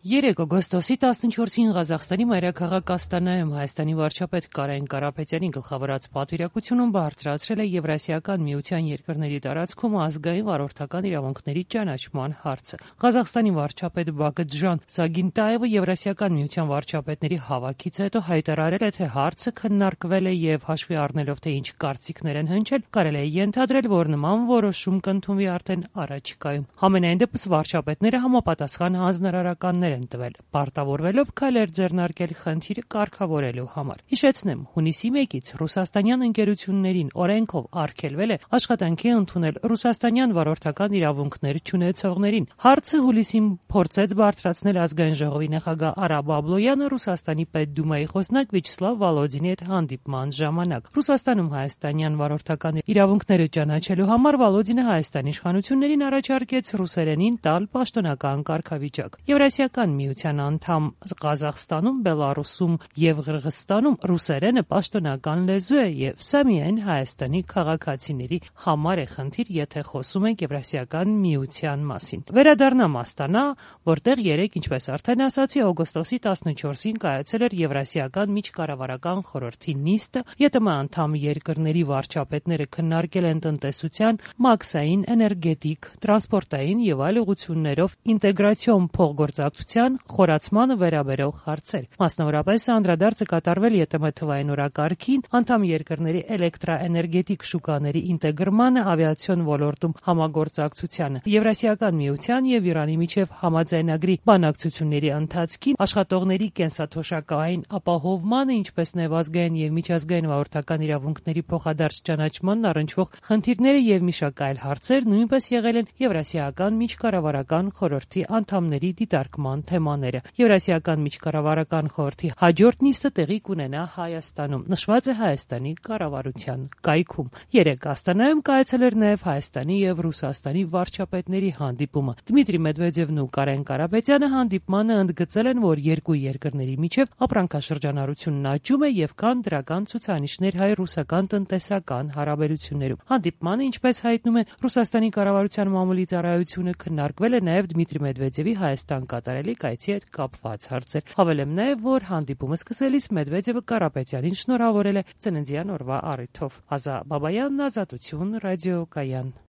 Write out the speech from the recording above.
3 օգոստոսի 14-ին Ղազախստանի մայրաքաղաք Աստանայում Հայաստանի վարչապետ Կարեն Կարապետյանի գլխավորած պատվիրակությունում բարձրացրել է Եվրասիական միության երկրների տարածքում ազգային վարորդական իրավունքների ճանաչման հարցը։ Ղազախստանի վարչապետ Բաքդժան Սագինտաևը Եվրասիական միության վարչապետների հավաքից հետո հայտարարել է, թե հարցը քննարկվել է եւ հաշվի առնելով, թե ինչ կարծիքներ են հնչել, կարելի է ենթադրել, որ նման որոշում կընդունվի արդեն առաջիկայում։ Համենայն դեպս վարչապետները համապատասխան հանձնարարականներ են տվել, պարտավորվելով քայլեր ձեռնարկել խնդիրը կարգավորելու համար։ Հիշեցնեմ, հունիսի 1-ից ռուսաստանյան ընկերություններին օրենքով արգելվել է աշխատանքի ընդունել ռուսաստանյան վարորդական իրավունքներ չունեցողներին։ Հարցը հուլիսին փորձեց բարձրացնել ազգային ժողովի նախագահ Արա Բաբլոյանը Ռուսաստանի պետդումայի խոսնակ Վիաչեսլավ Վոլոդինի հետ հանդիպման ժամանակ։ Ռուսաստանում հայաստանյան վարորդական իրավունքները ճանաչելու համար Վոլոդինը Հայաստանի իշխանություններին առաջարկեց ռուսերենին տալ պաշտոնական կարգավիճակ։ Եվրասիական միության անդամ Ղազախստանում, Բելարուսում եւ Ղրղըզստանում ռուսերենը պաշտոնական լեզու է եւ սա միայն Հայաստանի քաղաքացիների համար է խնդիր, եթե խոսում ենք Եվրասիական միության մասին։ Վերադառնամ Աստանա, որտեղ 3, ինչպես արդեն ասացի, օգոստոսի 14-ին կայացել էր Եվրասիական միջկառավարական խորհրդի նիստը, ԵՏՄ անդամ երկրների վարչապետները քննարկել են տնտեսության, մաքսային, էներգետիկ, տրանսպորտային եւ այլ ուղղություններով ինտեգրացիոն փոխգործակցության խորացմանը վերաբերող հարցեր։ Մասնավորապես անդրադարձը կատարվել ԵՏՄ թվային օրակարգին, անդամ երկրների էլեկտրաէներգետիկ շուկաների ինտեգրմանը, ավիացիոն ոլորտում համագործակցությանը, Եվրասիական միության եւ Իրանի միջև համաձայնագրի բանակցությունների ընթացքին, աշխատողների կենսաթոշակային ապահովմանը, ինչպես նաեւ ազգային եւ միջազգային վարորդական իրավունքների փոխադարձ ճանաչմանն առնչվող խնդիրները եւ մի շարք այլ հարցեր նույնպես եղել են Եվրասիական միջկառավարական խորհրդի անդամների դիտարկման թեմաները։ Եվրասիական միջկառավարական խորհրդի հաջորդ նիստը տեղի կունենա Հայաստանում, նշված է Հայաստանի կառավարության կայքում։ 3 Աստանայում կայացել էր նաև Հայաստանի եւ Ռուսաստանի վարչապետների հանդիպումը։ Դմիտրի Մեդվեդևն ու Կարեն Կարապետյանը հանդիպմանը ընդգծել են, որ երկու երկրների միջև ապրանքաշրջանառությունն աճում է եւ կան դրական ցուցանիշներ հայ-ռուսական տնտեսական հարաբերություններում։ Հանդիպմանը, ինչպես հայտնում է Ռուսաստանի կառավարության մամուլի ծառայությունը, քննարկվել է նաև Դմիտրի Մեդվեդևի Հայաստան կատարելիք այցի հետ կապված հարցեր։ Հավելեմ նաև, որ հանդիպումը սկսելիս Մեդվեդևը Կարապետյանին շնորհավորել է ծննդյան օրվա առիթով։ Ազա Բաբայանն, Ազատություն, ռադիոկայան։